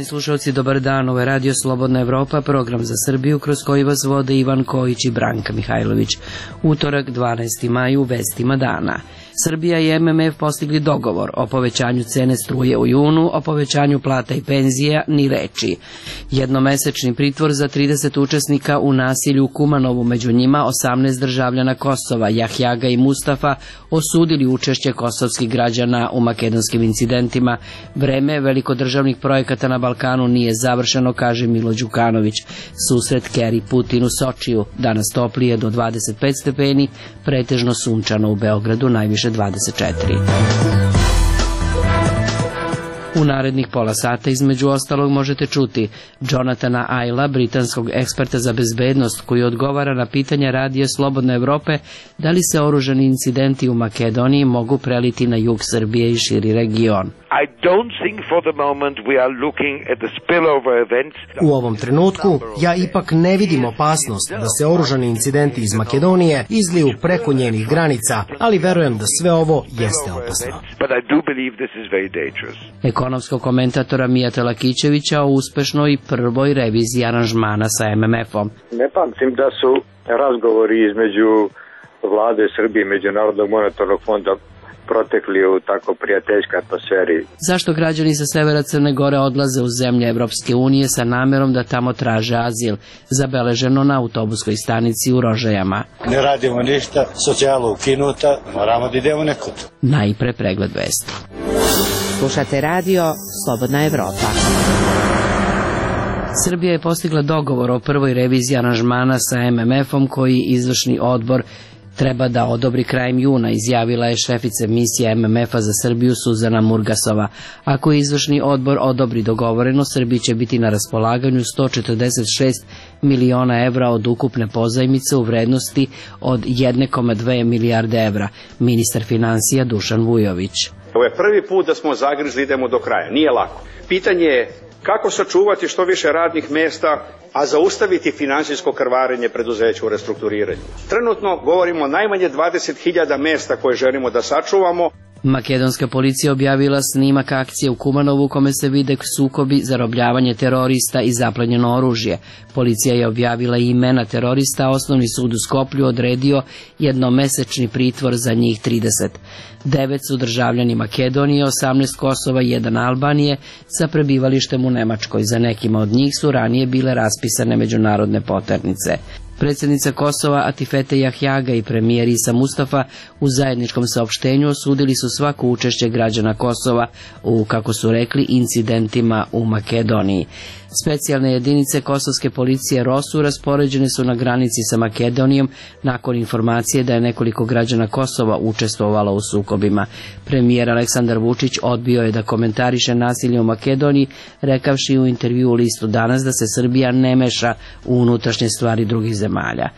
Poštovani slušalci, dobar dan, ovo je Radio Slobodna Evropa, program za Srbiju kroz koji vas vode Ivan Kojić i Branka Mihajlović. Utorak, 12. maj, u vestima dana. Srbija i MMF postigli dogovor o povećanju cene struje u junu, o povećanju plata i penzija ni reči. Jednomesečni pritvor za 30 učesnika u nasilju u Kumanovu, među njima 18 državljana Kosova, Jahjaga i Mustafa, osudili učešće kosovskih građana u makedonskim incidentima. Vreme velikodržavnih projekata na Balkanu nije završeno, kaže Milo Đukanović. Susret Keri Putin u Sočiju, danas toplije do 25 stepeni, pretežno sunčano u Beogradu, najviše 24. U narednih pola sata između ostalog možete čuti Jonathana Ayla, britanskog eksperta za bezbednost, koji odgovara na pitanja Radija Slobodne Evrope da li se oružani incidenti u Makedoniji mogu preliti na jug Srbije i širi region. U ovom trenutku ja ipak ne vidim opasnost da se oružani incidenti iz Makedonije izliju preko njenih granica, ali verujem da sve ovo jeste opasno. Ekonomskog komentatora Mijata Lakićevića o uspešnoj prvoj reviziji aranžmana sa MMF-om. Ne pamtim da su razgovori između vlade Srbije i Međunarodnog monetarnog fonda protekli u tako prijateljskoj atmosferi. Zašto građani sa severa Crne Gore odlaze u zemlje Evropske unije sa namerom da tamo traže azil? Zabeleženo na autobuskoj stanici u Rožajama. Ne radimo ništa, socijala ukinuta, moramo da idemo nekud. Najpre pregled vesti. Slušate Radio Slobodna Evropa. Srbija je postigla dogovor o prvoj reviziji aranžmana sa MMF-om koji izvršni odbor treba da odobri krajem juna, izjavila je šefica misije MMF-a za Srbiju Suzana Murgasova. Ako izvršni odbor odobri dogovoreno, Srbiji će biti na raspolaganju 146 miliona evra od ukupne pozajmice u vrednosti od 1,2 milijarde evra. Ministar finansija Dušan Vujović. Ovo je prvi put da smo zagrizli, idemo do kraja. Nije lako. Pitanje je kako sačuvati što više radnih mesta, a zaustaviti finansijsko krvarenje preduzeća u restrukturiranju. Trenutno govorimo o najmanje 20.000 mesta koje želimo da sačuvamo. Makedonska policija objavila snimak akcije u Kumanovu u kome se vide sukobi, zarobljavanje terorista i zaplenjeno oružje. Policija je objavila i imena terorista, a osnovni sud u Skoplju odredio jednomesečni pritvor za njih 30. 9 su državljani Makedonije, 18 Kosova i 1 Albanije sa prebivalištem u Nemačkoj. Za nekima od njih su ranije bile raspisane međunarodne poternice. Predsjednica Kosova Atifete Jahjaga i premijer Isa Mustafa u zajedničkom saopštenju osudili su svako učešće građana Kosova u, kako su rekli, incidentima u Makedoniji. Specijalne jedinice kosovske policije ROSU raspoređene su na granici sa Makedonijom nakon informacije da je nekoliko građana Kosova učestvovalo u sukobima. Premijer Aleksandar Vučić odbio je da komentariše nasilje u Makedoniji, rekavši u intervju u Listu Danas da se Srbija ne meša u unutrašnje stvari drugih zemalja.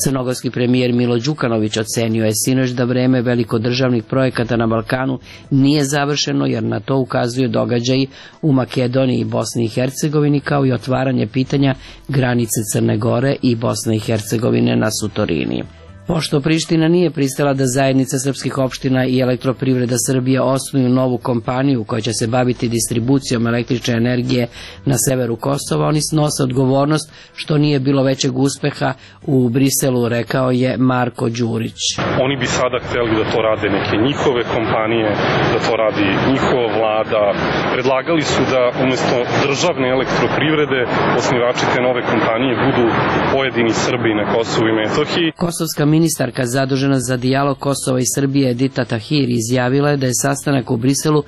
Crnogorski premijer Milo Đukanović ocenio je sinoć da vreme velikodržavnih projekata na Balkanu nije završeno, jer na to ukazuju događaji u Makedoniji i Bosni i Hercegovini, kao i otvaranje pitanja granice Crne Gore i Bosne i Hercegovine na Sutorini. Pošto Priština nije pristala da zajednica srpskih opština i Elektroprivreda Srbije osnuju novu kompaniju koja će se baviti distribucijom električne energije na severu Kosova, oni snose odgovornost što nije bilo većeg uspeha u Briselu, rekao je Marko Đurić. Oni bi sada hteli da to rade neke njihove kompanije, da to radi njihova vlada. Predlagali su da umjesto državne elektroprivrede osnivači te nove kompanije budu pojedini Srbi na Kosovu i Metohiji. Kosovska ministarka zadužena za dijalog Kosova i Srbije Edita Tahir izjavila je da je sastanak u Briselu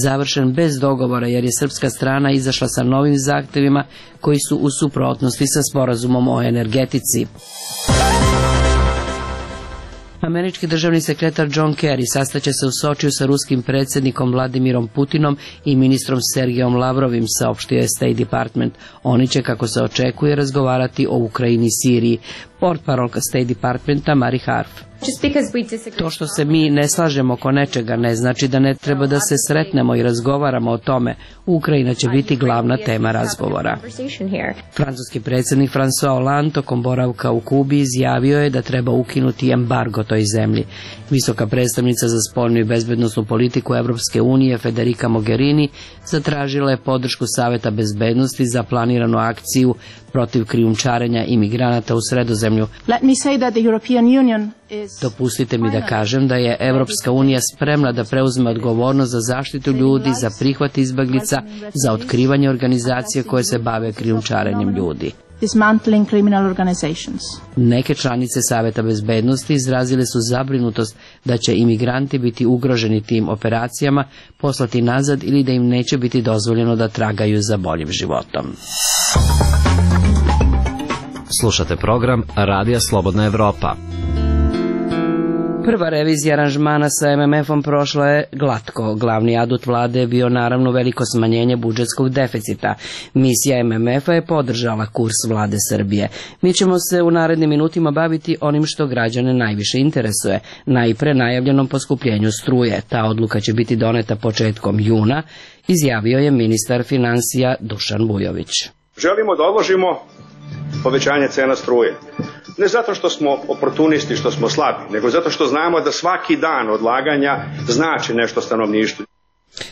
završen bez dogovora, jer je srpska strana izašla sa novim zahtevima koji su u suprotnosti sa sporazumom o energetici. Američki državni sekretar John Kerry sastaće se u Sočiju sa ruskim predsjednikom Vladimirom Putinom i ministrom Sergejom Lavrovim, saopštio je State Department. Oni će, kako se očekuje, razgovarati o Ukrajini i Siriji. portparolka State Departmenta Mari Harf. To što se mi ne slažemo oko nečega ne znači da ne treba da se sretnemo i razgovaramo o tome. Ukrajina će biti glavna tema razgovora. Francuski predsjednik François Hollande tokom boravka u Kubi izjavio je da treba ukinuti embargo toj zemlji. Visoka predstavnica za spoljnu i bezbednosnu politiku Evropske unije Federica Mogherini zatražila je podršku Saveta bezbednosti za planiranu akciju protiv krijumčarenja imigranata u Sredozemlju. Dopustite mi da kažem da je Evropska unija spremna da preuzme odgovornost za zaštitu ljudi, za prihvat izbeglica, za otkrivanje organizacije koje se bave krijumčarenjem ljudi. Neke članice Saveta bezbednosti izrazile su zabrinutost da će imigranti biti ugroženi tim operacijama, poslati nazad ili da im neće biti dozvoljeno da tragaju za boljim životom. Slušate program Radija Slobodna Evropa. Prva revizija aranžmana sa MMF-om prošla je glatko. Glavni adut vlade je bio naravno veliko smanjenje budžetskog deficita. Misija MMF-a je podržala kurs vlade Srbije. Mi ćemo se u narednim minutima baviti onim što građane najviše interesuje. Najpre najavljenom poskupljenju struje. Ta odluka će biti doneta početkom juna, izjavio je ministar finansija Dušan Vujović. Želimo da odložimo povećanje cena struje. Ne zato što smo oportunisti, što smo slabi, nego zato što znamo da svaki dan odlaganja znači nešto stanovništvu.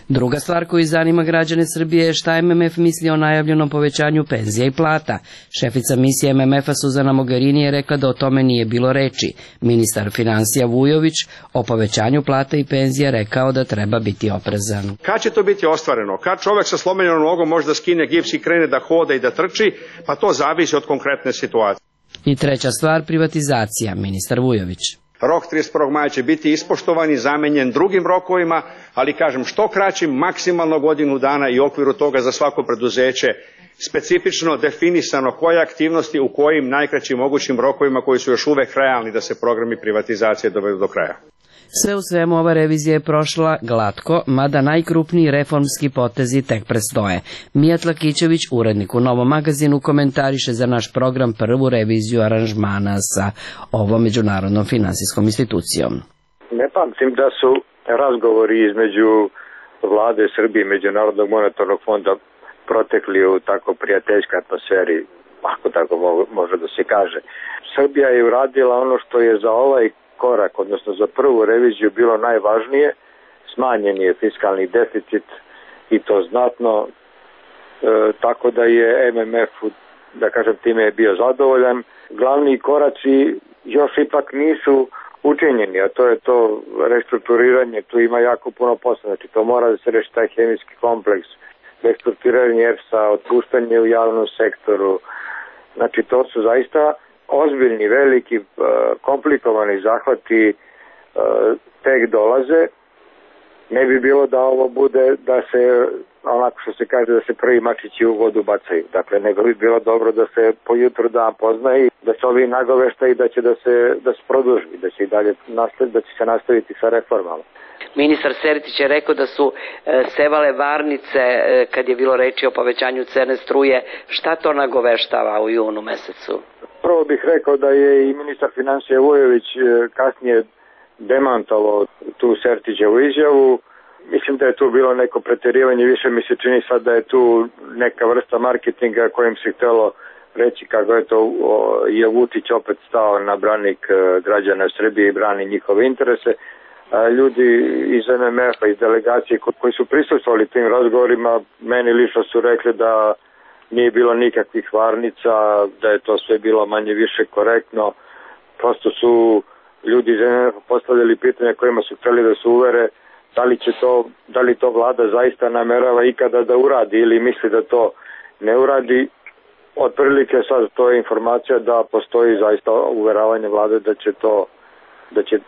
Druga stvar koju zanima građane Srbije je šta MMF misli o najavljenom povećanju penzija i plata. Šefica misije MMF-a Suzana Mogherini je rekla da o tome nije bilo reči. Ministar finansija Vujović o povećanju plata i penzija rekao da treba biti oprezan. Kad će to biti ostvareno? Kad čovek sa slomljenom nogom može da skine gips i krene da hoda i da trči? Pa to zavisi od konkretne situacije. I treća stvar, privatizacija, ministar Vujović. Rok 31. maja će biti ispoštovan i zamenjen drugim rokovima, ali kažem što kraćim, maksimalno godinu dana i u okviru toga za svako preduzeće specifično definisano koje aktivnosti u kojim najkraćim mogućim rokovima koji su još uvek realni da se programi privatizacije dovedu do kraja. Sve u svemu ova revizija je prošla glatko, mada najkrupniji reformski potezi tek predstoje. Mijat Lakićević, urednik u Novom magazinu, komentariše za naš program prvu reviziju aranžmana sa ovom međunarodnom finansijskom institucijom. Ne pamtim da su razgovori između vlade Srbije i Međunarodnog monetarnog fonda protekli u tako prijateljskoj atmosferi, ako tako može da se kaže. Srbija je uradila ono što je za ovaj korak, odnosno za prvu reviziju bilo najvažnije, smanjen je fiskalni deficit i to znatno, tako da je MMF, da kažem, time je bio zadovoljan. Glavni koraci još ipak nisu učinjeni, a to je to restrukturiranje, tu ima jako puno posla, znači to mora da se reši taj hemijski kompleks, restrukturiranje EPS-a, otpuštanje u javnom sektoru, znači to su zaista ozbiljni, veliki, komplikovani zahvati tek dolaze. Ne bi bilo da ovo bude da se, onako što se kaže, da se prvi mačići u vodu bacaju. Dakle, nego bi bilo dobro da se po jutru dan poznaje, da se ovi nagoveštaji da će da se produži, da će i dalje da će se nastaviti sa reformama. Ministar Sertić je rekao da su sevale varnice kad je bilo reči o povećanju cene struje. Šta to nagoveštava u junu mesecu? Prvo bih rekao da je i ministar finansija Vujović kasnije demantovao tu Sertićevu izjavu. Mislim da je tu bilo neko preterivanje, više mi se čini sad da je tu neka vrsta marketinga kojim se htjelo reći kako je to je Vučić opet stao na branik građana Srbije i brani njihove interese. Ljudi iz MMF-a, iz delegacije koji su prisustvovali tim razgovorima, meni lično su rekli da nije bilo nikakvih varnica, da je to sve bilo manje više korektno. Prosto su ljudi iz MMF-a postavljali pitanja kojima su htjeli da se uvere da li to vlada zaista namerava ikada da uradi ili misli da to ne uradi. Otprilike sad to je informacija da postoji zaista uveravanje vlade da će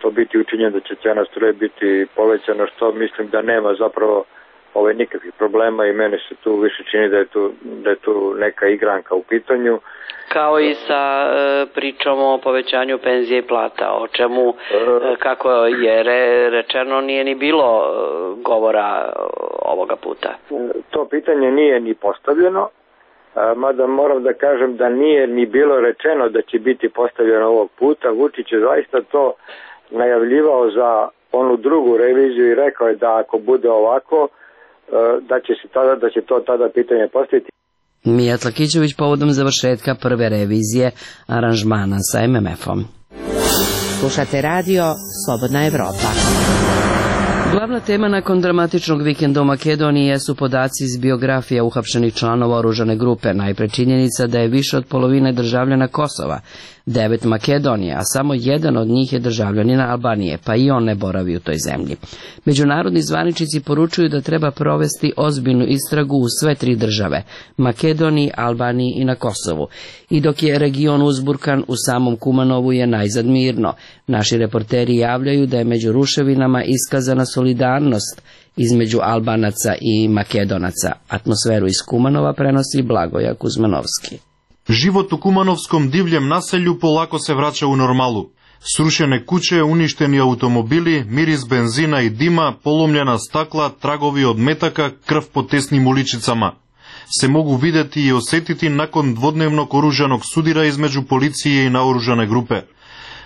to biti učinjeno, da će cena struje biti povećana, što mislim da nema zapravo nikakvih problema i meni se tu više čini da je tu neka igranka u pitanju. Kao i sa pričom o povećanju penzije i plata, o čemu, kako je rečeno, nije ni bilo govora ovoga puta. To pitanje nije ni postavljeno mada moram da kažem da nije ni bilo rečeno da će biti postavljeno ovog puta. Vučić je zaista to najavljivao za onu drugu reviziju i rekao je da ako bude ovako, da će to tada pitanje postaviti. Mijat Lakićević povodom završetka prve revizije aranžmana sa MMF-om. Slušate radio Slobodna Evropa. Glavna tema nakon dramatičnog vikenda u Makedoniji jesu podaci iz biografija uhapšenih članova oružane grupe. Najpre činjenica da je više od polovine državljana Kosova, 9 Makedonije, a samo jedan od njih je državljanin Albanije, pa i on ne boravi u toj zemlji. Međunarodni zvaničnici poručuju da treba provesti ozbiljnu istragu u sve 3 države, Makedoniji, Albaniji i na Kosovu. I dok je region uzburkan, u samom Kumanovu je najzad mirno. Naši reporteri javljaju da je među ruševinama iskazana solidarnost između Albanaca i Makedonaca. Atmosferu iz Kumanova prenosi Blagoja Kuzmanovski. Život u kumanovskom divljem naselju polako se vraća u normalu. Srušene kuće, uništeni automobili, miris benzina i dima, polomljena stakla, tragovi od metaka, krv po tesnim uličicama se mogu videti i osjetiti nakon dvodnevnog oružanog sudira između policije i naoružane grupe.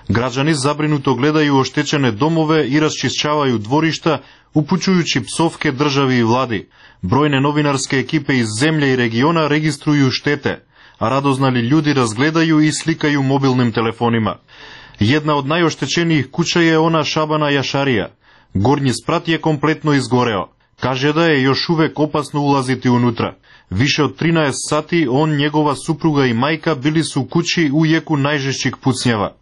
Građani zabrinuto gledaju oštećene domove i raščišćavaju dvorišta, upućujući psovke državi i vladi. Brojne novinarske ekipe iz zemlje i regiona registruju štete, a radoznali ljudi razgledaju i slikaju mobilnim telefonima. Jedna od najoštećenijih kuća je ona Šabana Jašarija. Gornji sprat je kompletno izgoreo. Kaže da je još uvek opasno ulaziti unutra. Više od 13 sati on, njegova supruga i majka bili su u kući u jeku najžešćih pucnjava.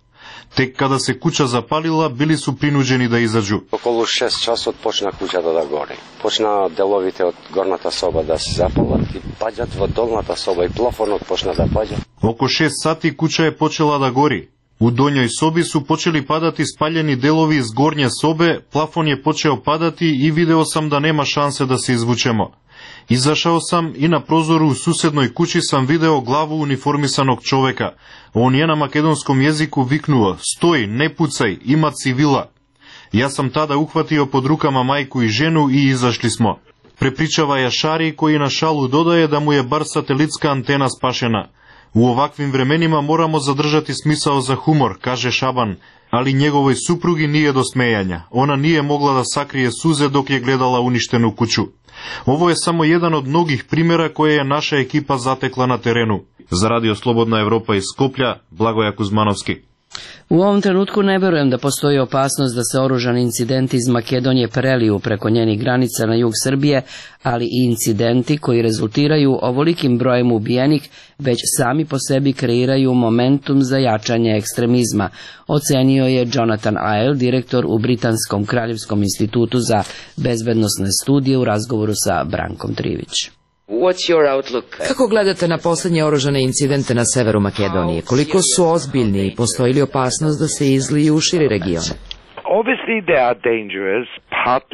Tek kada se kuća zapalila, bili su prinuđeni da izađu. Околу 6 часот почна куќата да гори. Почна деловите од горната соба да се запалат и паѓат во долната соба и плафонот почна да паѓа. Око 6 сати куќа е почела да гори. У доњој соби су почели падати спаljeni делови из горње собе, плафон je почео падати и видео сам да нема шансе да се извучемо. Изашао сам и на прозору у суседној куќи сам видео главу униформисаног човека. Он е на македонском језику викнува: "Стој, не пуцај, има цивила." Јас сам тада ухватио под рукама мајку и жену и изашли смо. Препричава Јашари, кој на шалу додаje да му е бар сателитска антена спашена. У оваквим временима морамо задржати смисао за хумор, каже Шабан, али неговој супруги nije до смејања. Она nije могла да сакрие сузе док ја гледала уништену куќу. Ово е само еден од многих примера кои е наша екипа затекла на терену. За Радио Слободна Европа из Скопља, Благоја Кузмановски. U ovom trenutku ne verujem da postoji opasnost da se oružani incidenti iz Makedonije preliju preko njenih granica na jug Srbije, ali i incidenti koji rezultiraju ovolikim brojem ubijenih već sami po sebi kreiraju momentum za jačanje ekstremizma, ocenio je Jonathan Isle, direktor u Britanskom kraljevskom institutu za bezbednosne studije u razgovoru sa Brankom Trivić. Kako gledate na poslednje oružane incidente na severu Makedonije? Koliko su ozbiljni i postoji li opasnost da se izliju u širi region?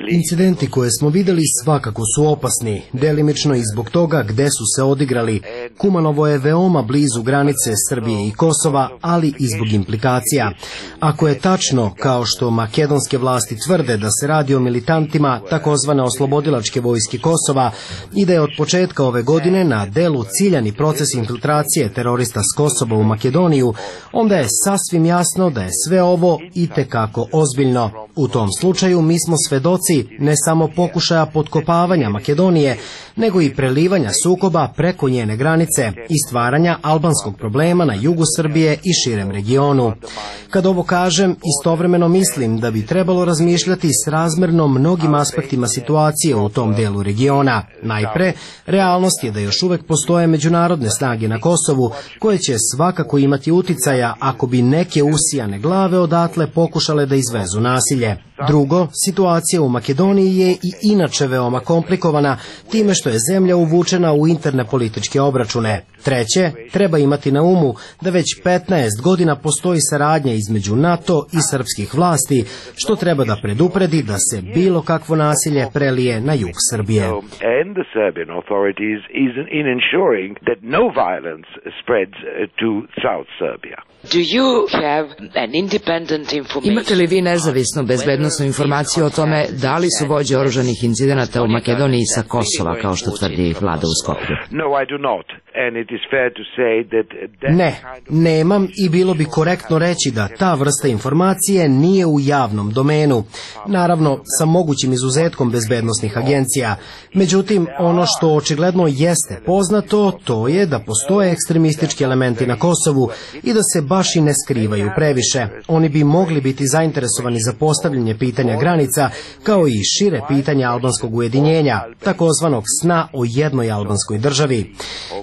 Incidenti koje smo videli svakako su opasni, delimično i zbog toga gde su se odigrali. Kumanovo je veoma blizu granice Srbije i Kosova, ali i zbog implikacija. Ako je tačno, kao što makedonske vlasti tvrde da se radi o militantima takozvane oslobodilačke vojske Kosova i da je od početka ove godine na delu ciljani proces infiltracije terorista s Kosova u Makedoniju, onda je sasvim jasno da je sve ovo itekako ozbiljno. U tom slučaju mi smo svedoci ne samo pokušaja potkopavanja Makedonije, nego i prelivanja sukoba preko njene granice i stvaranja albanskog problema na jugu Srbije i širem regionu. Kad ovo kažem, istovremeno mislim da bi trebalo razmišljati srazmerno mnogim aspektima situacije u tom delu regiona. Najpre, realnost je da još uvek postoje međunarodne snage na Kosovu koje će svakako imati uticaja ako bi neke usijane glave odatle pokušale da izvezu nasilje. Drugo, situacija u Makedoniji je i inače veoma komplikovana time što je zemlja uvučena u interne političke obračune. Treće, treba imati na umu da već 15 godina postoji saradnja između NATO i srpskih vlasti, što treba da predupredi da se bilo kakvo nasilje prelije na jug Srbije. Imate li vi nezavisnu bezbednosnu odnosno informacije o tome da li su vođe oružanih incidenata u Makedoniji sa Kosova, kao što tvrdi vlada u Skoplju. Ne, nemam i bilo bi korektno reći da ta vrsta informacije nije u javnom domenu. Naravno, sa mogućim izuzetkom bezbednosnih agencija. Međutim, ono što očigledno jeste poznato, to je da postoje ekstremistički elementi na Kosovu i da se baš i ne skrivaju previše. Oni bi mogli biti zainteresovani za postavljanje pitanja granica, kao i šire pitanja albanskog ujedinjenja, takozvanog sna o jednoj albanskoj državi.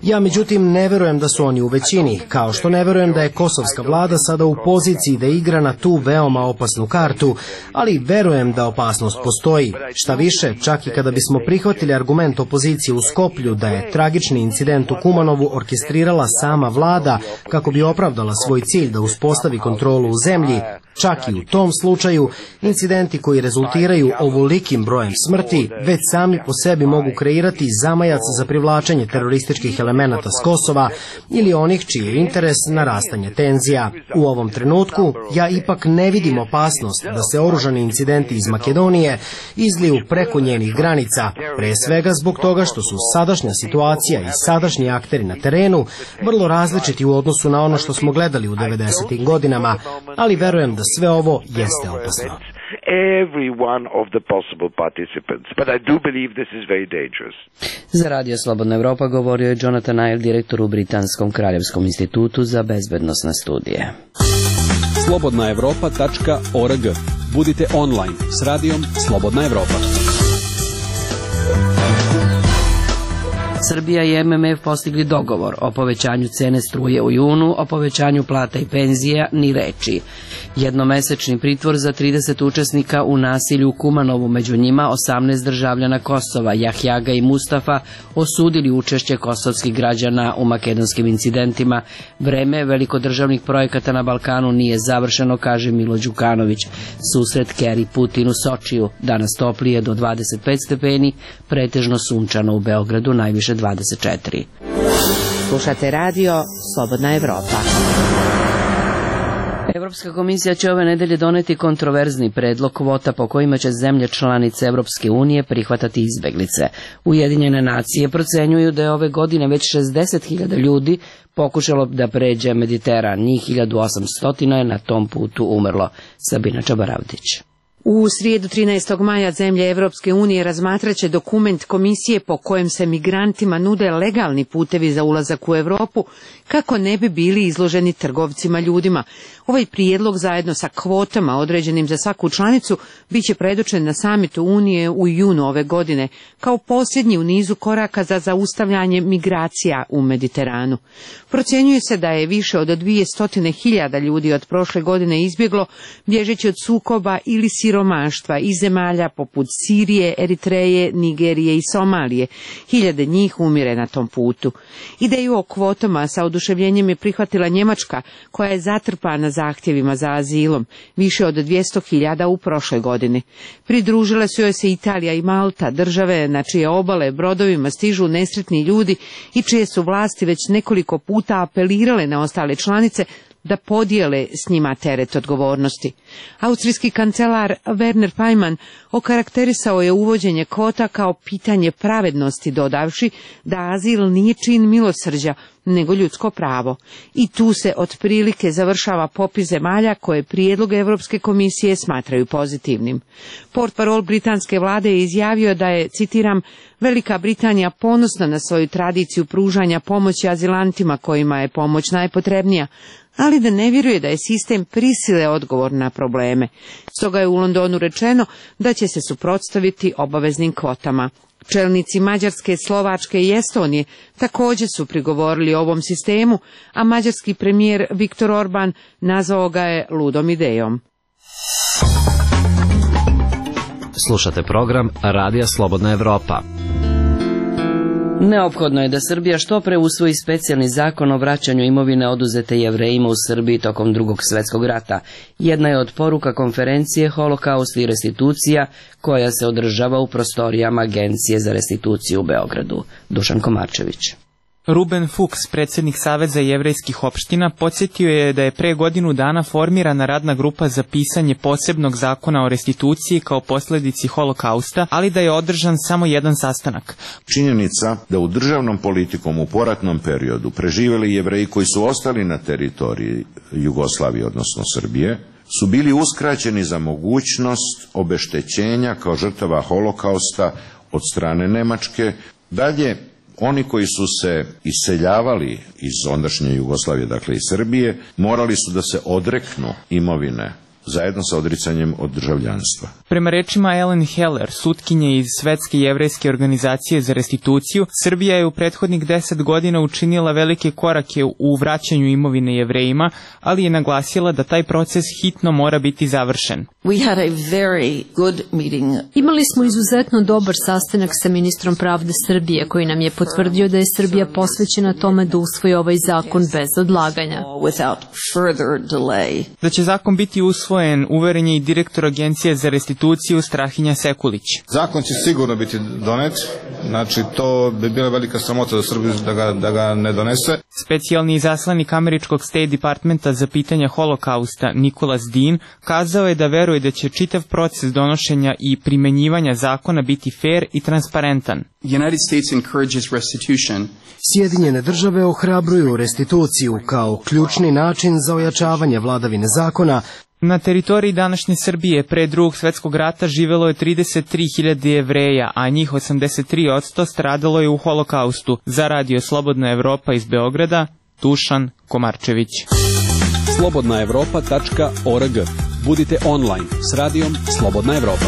Ja međutim ne verujem da su oni u većini, kao što ne verujem da je kosovska vlada sada u poziciji da igra na tu veoma opasnu kartu, ali verujem da opasnost postoji. Šta više, čak i kada bismo prihvatili argument opozicije u Skoplju da je tragični incident u Kumanovu orkestrirala sama vlada kako bi opravdala svoj cilj da uspostavi kontrolu u zemlji, čak i u tom slučaju, incidenti koji rezultiraju ovolikim brojem smrti već sami po sebi mogu kreirati zamajac za privlačenje terorističkih elemenata s Kosova ili onih čiji je interes narastanje tenzija. U ovom trenutku ja ipak ne vidim opasnost da se oružani incidenti iz Makedonije izliju preko njenih granica, pre svega zbog toga što su sadašnja situacija i sadašnji akteri na terenu vrlo različiti u odnosu na ono što smo gledali u 90. godinama, ali verujem da sve ovo jeste opasno. Za Radio Slobodna Evropa govorio je Jonathan Nile, direktor u Britanskom kraljevskom institutu za bezbednosne studije. slobodnaevropa.org. Budite online s radijom Slobodna Evropa. Srbija i MMF postigli dogovor o povećanju cene struje u junu, o povećanju plata i penzija ni reči. Jednomesečni pritvor za 30 učesnika u nasilju u Kumanovu, među njima 18 državljana Kosova, Jahjaga i Mustafa, osudili učešće kosovskih građana u makedonskim incidentima. Vreme velikodržavnih projekata na Balkanu nije završeno, kaže Milo Đukanović. Susret Kerry Putin u Sočiju, danas toplije do 25 stepeni, pretežno sunčano u Beogradu, najviše 24. Slušate radio Slobodna Evropa. Evropska komisija će ove nedelje doneti kontroverzni predlog kvota po kojima će zemlje članice Evropske unije prihvatati izbeglice. Ujedinjene nacije procenjuju da je ove godine već 60.000 ljudi pokušalo da pređe Mediteran. Njih 1800 je na tom putu umrlo. Sabina Čabaravdić. U srijedu 13. maja zemlje Evropske unije razmatraće dokument komisije po kojem se migrantima nude legalni putevi za ulazak u Europu kako ne bi bili izloženi trgovcima ljudima. Ovaj prijedlog zajedno sa kvotama određenim za svaku članicu biće predočen na samitu Unije u junu ove godine kao posljednji u nizu koraka za zaustavljanje migracija u Mediteranu. Procjenjuje se da je više od 200.000 ljudi od prošle godine izbjeglo bježeći od sukoba ili siromaštva iz zemalja poput Sirije, Eritreje, Nigerije i Somalije. Hiljade njih umire na tom putu. Ideju o kvotama sa oduševljenjem je prihvatila Njemačka, koja je zatrpana zahtjevima za azilom, više od 200.000 u prošloj godini. Pridružile su joj se Italija i Malta, države na čije obale brodovima stižu nesretni ljudi i čije su vlasti već nekoliko puta apelirale na ostale članice da podijele s njima teret odgovornosti. Austrijski kancelar Werner Faymann okarakterisao je uvođenje kvota kao pitanje pravednosti, dodavši da azil nije čin milosrđa, nego ljudsko pravo. I tu se otprilike završava popis zemalja koje prijedlog Europske komisije smatraju pozitivnim. Portparol britanske vlade je izjavio da je, citiram, Velika Britanija ponosna na svoju tradiciju pružanja pomoći azilantima kojima je pomoć najpotrebnija, ali da ne vjeruje da je sistem prisile odgovor na probleme. Stoga je u Londonu rečeno da će se suprotstaviti obaveznim kvotama. Čelnici Mađarske, Slovačke i Estonije također su prigovorili ovom sistemu, a mađarski premijer Viktor Orban nazvao ga je ludom idejom. Slušate program Radija Slobodna Evropa. Neophodno je da Srbija što pre usvoji specijalni zakon o vraćanju imovine oduzete Jevrejima u Srbiji tokom Drugog svjetskog rata. Jedna je od poruka konferencije Holokaust i restitucija koja se održava u prostorijama Agencije za restituciju u Beogradu. Dušan Komarčević. Ruben Fuchs, predsjednik Saveza jevrejskih opština, podsjetio je da je pre godinu dana formirana radna grupa za pisanje posebnog zakona o restituciji kao posledici holokausta, ali da je održan samo jedan sastanak. Činjenica da u državnom politikom u poratnom periodu preživeli Jevreji koji su ostali na teritoriji Jugoslavije, odnosno Srbije, su bili uskraćeni za mogućnost obeštećenja kao žrtava holokausta od strane Nemačke. Dalje, oni koji su se iseljavali iz ondašnje Jugoslavije, dakle iz Srbije, morali su da se odreknu imovine zajedno sa odricanjem od državljanstva. Prema rečima Ellen Heller, sutkinje iz Svetske jevrejske organizacije za restituciju, Srbija je u prethodnih 10 godina učinila velike korake u vraćanju imovine Jevrejima, ali je naglasila da taj proces hitno mora biti završen. Imali smo izuzetno dobar sastanak sa ministrom pravde Srbije, koji nam je potvrdio da je Srbija posvećena tome da usvoji ovaj zakon bez odlaganja. Da će zakon biti usvojen, uveren je i direktor Agencije za restituciju Strahinja Sekulić. Zakon će sigurno biti donet, znači to bi bila velika sramota za Srbiju da ga ne donese. Specijalni izaslanik američkog State Departmenta za pitanja holokausta Nicholas Dean kazao je da veruje da će čitav proces donošenja i primenjivanja zakona biti fair i transparentan. Sjedinjene države ohrabruju restituciju kao ključni način za ojačavanje vladavine zakona. Na teritoriji današnje Srbije pre Drugog svjetskog rata živelo je 33.000 Jevreja, a njih 83% stradalo je u holokaustu. Za Radio Slobodna Evropa iz Beograda, Dušan Komarčević. slobodnaevropa.org. Budite online s radijom Slobodna Evropa.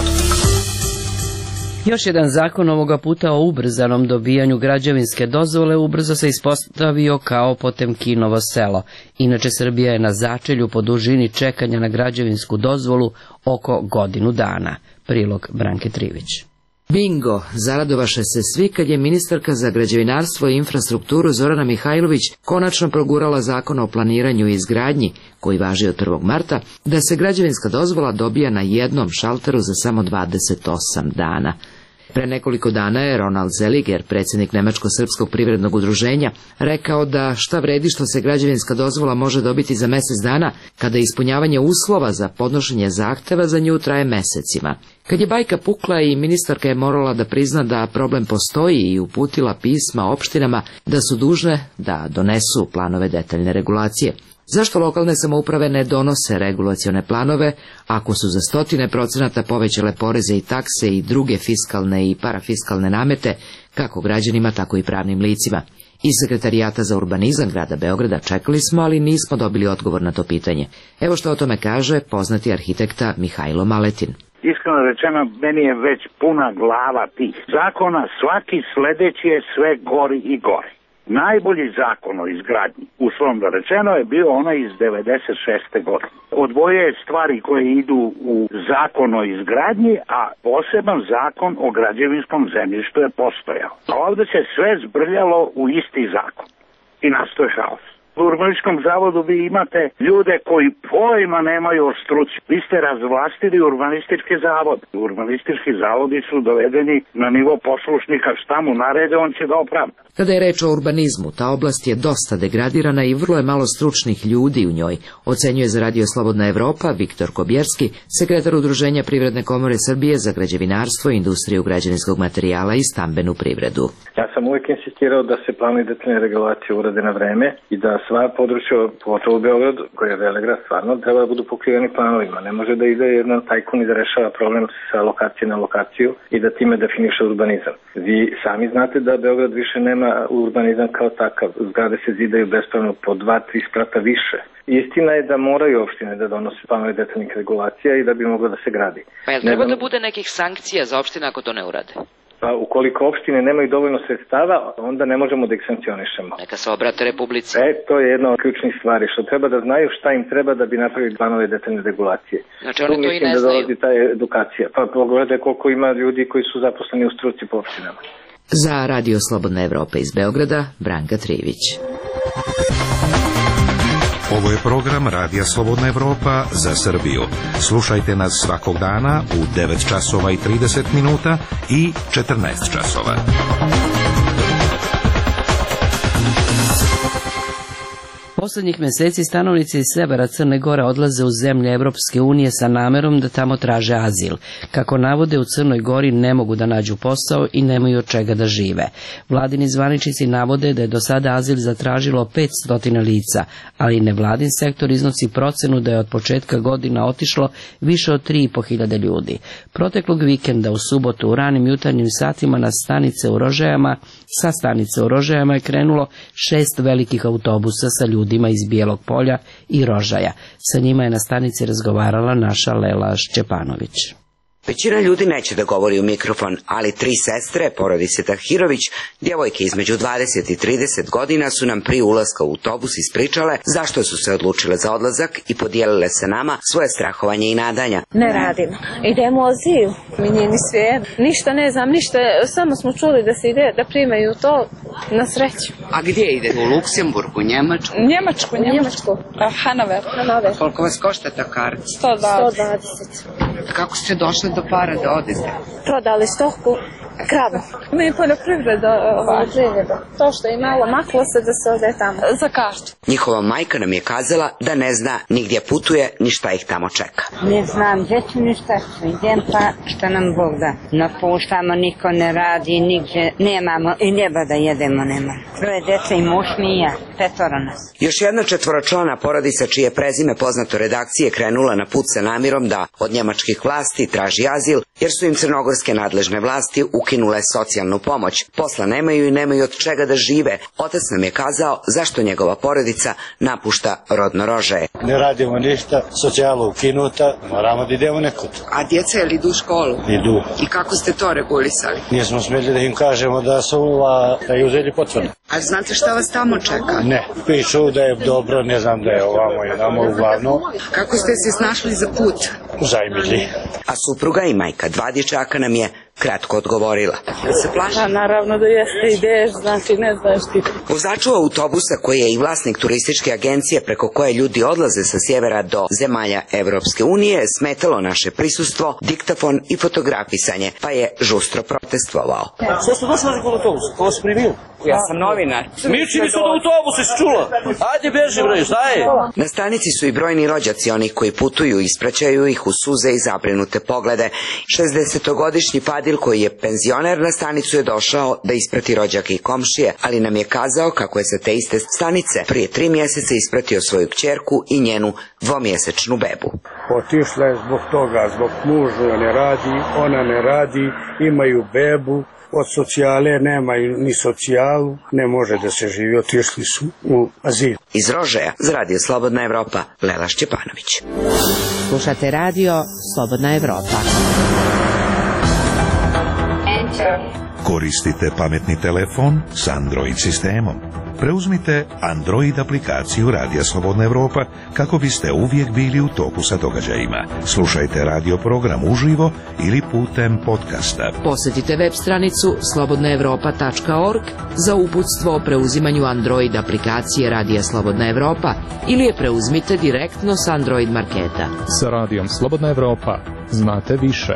Još jedan zakon, ovoga puta o ubrzanom dobijanju građevinske dozvole, ubrzo se ispostavio kao Potemkinovo selo. Inače, Srbija je na začelju po dužini čekanja na građevinsku dozvolu oko godinu dana. Prilog Branke Trivić. Bingo! Zaradovaše se svi kad je ministarka za građevinarstvo i infrastrukturu Zorana Mihajlović konačno progurala zakon o planiranju i izgradnji, koji važi od 1. marta, da se građevinska dozvola dobija na jednom šalteru za samo 28 dana. Pre nekoliko dana je Ronald Zeliger, predsjednik Nemačko-srpskog privrednog udruženja, rekao da šta vredi što se građevinska dozvola može dobiti za mjesec dana, kada ispunjavanje uslova za podnošenje zahteva za nju traje mesecima. Kad je bajka pukla i ministarka je morala da prizna da problem postoji i uputila pisma opštinama da su dužne da donesu planove detaljne regulacije. Zašto lokalne samouprave ne donose regulacione planove ako su za 100% povećale poreze i takse i druge fiskalne i parafiskalne namete, kako građanima, tako i pravnim licima? Iz Sekretarijata za urbanizam grada Beograda čekali smo, ali nismo dobili odgovor na to pitanje. Evo što o tome kaže poznati arhitekta Mihajlo Maletin. Iskreno rečeno, meni je već puna glava tih zakona, svaki sledeći je sve gori i gori. Najbolji zakon o izgradnji, uslovno rečeno, je bio onaj iz 96. godine. Odvojio je stvari koje idu u zakon o izgradnji, a poseban zakon o građevinskom zemljištu je postojao. A ovdje se sve zbrljalo u isti zakon i nastoje haos. U urbanističkom zavodu vi imate ljude koji pojma nemaju o struci. Vi ste razvlastili urbanistički zavod. Urbanistički zavodi su dovedeni na nivo poslušnika, šta mu narede, on će da opravda. Kada je reč o urbanizmu, ta oblast je dosta degradirana i vrlo je malo stručnih ljudi u njoj, ocenjuje za Radio Slobodna Evropa Viktor Kobjerski, sekretar Udruženja Privredne komore Srbije za građevinarstvo, industriju građevinskog materijala i stambenu privredu. Ja sam uvijek insistirao da se planovi detaljne regulacije urade na vreme i da sva područja, pogotovo u Beogradu, koja je velegrad, stvarno treba da budu pokriveni planovima. Ne može da ide jedan tajkun i da rešava problem sa lokacije na lokaciju i da time definiše urbanizam. Vi sami znate da Beograd više nema urbanizam kao takav. Zgrade se zidaju bespravno po 2-3 sprata više. Istina je da moraju opštine da donose planove detaljnih regulacija i da bi moglo da se gradi. Pa je treba da bude nekih sankcija za opštine ako to ne urade? Pa ukoliko opštine nemaju dovoljno sredstava, onda ne možemo da ih sankcionišemo. Neka se obrate Republici. To je jedna od ključnih stvari, što treba da znaju šta im treba da bi napravili planove detaljne regulacije. Znači oni to i ne znaju. Da dolazi ta edukacija. Pa pogledajte koliko ima ljudi koji su zaposleni u struci po opštinama. Za Radio Slobodna Evropa iz Beograda, Branka Trivić. Ovo je program Radija Slobodna Evropa za Srbiju. Slušajte nas svakog dana u 9 časova i 30 minuta i 14 časova. Poslednjih meseci stanovnici iz severa Crne Gore odlaze u zemlje Evropske unije sa namerom da tamo traže azil. Kako navode, u Crnoj Gori ne mogu da nađu posao i nemaju od čega da žive. Vladini zvaničnici navode da je do sada azil zatražilo 500 lica, ali nevladin sektor iznosi procenu da je od početka godina otišlo više od 3.500 ljudi. Proteklog vikenda u subotu u ranim jutarnjim satima sa stanice u Rožajama je krenulo 6 velikih autobusa sa ljudima iz Bijelog Polja i Rožaja. Sa njima je na stanici razgovarala naša Lela Šćepanović. Većina ljudi neće da govori u mikrofon, ali 3 sestre, porodice Tahirović, djevojke između 20 i 30 godina, su nam prije ulaska u autobus ispričale zašto su se odlučile za odlazak i podijelile se nama svoje strahovanje i nadanja. Ne radimo. Idemo u azil. Mi nije ni sve. Ništa ne znam, ništa. Samo smo čuli da se ide, da primaju to na sreću. A gdje ide? U Luksemburg, u Njemačku? Njemačku. Hanover. Koliko vas košta ta karta? 120. Kako ste došli do para da odete? Prodali stoku, kravu. Mi poljoprivreda. To što je malo maklo se da se ode tamo. Za kartu. Njihova majka nam je kazala da ne zna ni gdje putuje, ni šta ih tamo čeka. Ne znam gdje ću ni šta ću. Idem pa šta nam Bog da. Napuštamo, niko ne radi, nigdje nemamo i njeba da jedemo nema. 3 djece i muž mi i ja, 5 nas. Još jedna 4-člana porodica čije prezime poznato redakcije krenula na put sa namirom da od njemačkih vlasti traži azil, jer su im crnogorske nadležne vlasti ukinule socijalnu pomoć. Posla nemaju i nemaju od čega da žive. Otac nam je kazao zašto njegova porodica napušta rodno Rožaje. Ne radimo ništa, socijala ukinuta, moramo da idemo nekud. A djeca je li idu u školu? Idu. I kako ste to regulisali? Nismo smjeli da im kažemo da su da je uzeli potvrdu. A znate šta vas tamo čeka? Ne, pišu da je dobro, ne znam da je ovamo i namo uglavnom. Kako ste se snašli za put? Zajmili. A supruga i majka 2 dječaka nam je kratko odgovorila. Da se plaši? Pa naravno da jeste, ideš, znači ne znaš ti. Vozaču autobusa, koji je i vlasnik turističke agencije preko koje ljudi odlaze sa sjevera do zemalja Evropske unije, smetalo naše prisustvo, diktafon i fotografisanje, pa je žustro protestovao. Što ste došli kod autobusa? Ko vas primio? Ja sam novinar. Miči mi se od autobusa, si čula? Ajde beži bre, šta je? Na stanici su i brojni rođaci, onih koji putuju i ispraćaju ih u suze i zabrinute poglede. 60-godišnji Fadil, koji je penzioner, na stanicu je došao da isprati rođake i komšije, ali nam je kazao kako je sa te iste stanice prije 3 mjeseca ispratio svoju kćerku i njenu 2-mjesečnu bebu. Otišla je zbog toga, zbog muža ne radi, ona ne radi, imaju bebu. Od socijale nemaju ni socijalu, ne može da se živi, otišli su u azil. Iz Rožaja za Radio Slobodna Evropa, Lela Šćepanović. Slušate Radio Slobodna Evropa. Koristite pametni telefon s Android sistemom. Preuzmite Android aplikaciju Radija Slobodna Evropa kako biste uvijek bili u toku sa događajima. Slušajte radio program uživo ili putem podcasta. Posjetite web stranicu slobodnaevropa.org za uputstvo o preuzimanju Android aplikacije Radija Slobodna Evropa ili je preuzmite direktno s Android marketa. Sa Radijom Slobodna Evropa znate više.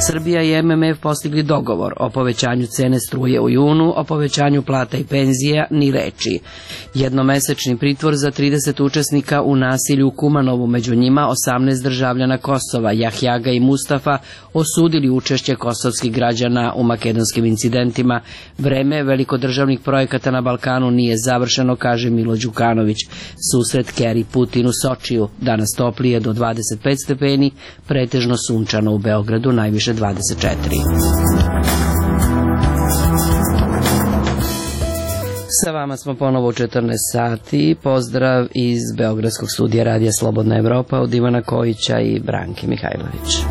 Srbija i MMF postigli dogovor o povećanju cene struje u junu, o povećanju plata i penzija ni reči. Jednomesečni pritvor za 30 učesnika u nasilju u Kumanovu, među njima 18 državljana Kosova, Jahjaga i Mustafa, osudili učešće kosovskih građana u makedonskim incidentima. Vreme velikodržavnih projekata na Balkanu nije završeno, kaže Milo Đukanović. Susret Keri Putin u Sočiju, danas toplije do 25 stepeni, pretežno sunčano u Beogradu, najviše 24. Sa vama smo ponovo u 14 sati. Pozdrav iz Beogradskog studija Radija Slobodna Evropa od Ivana Kojića i Branke Mihajlović.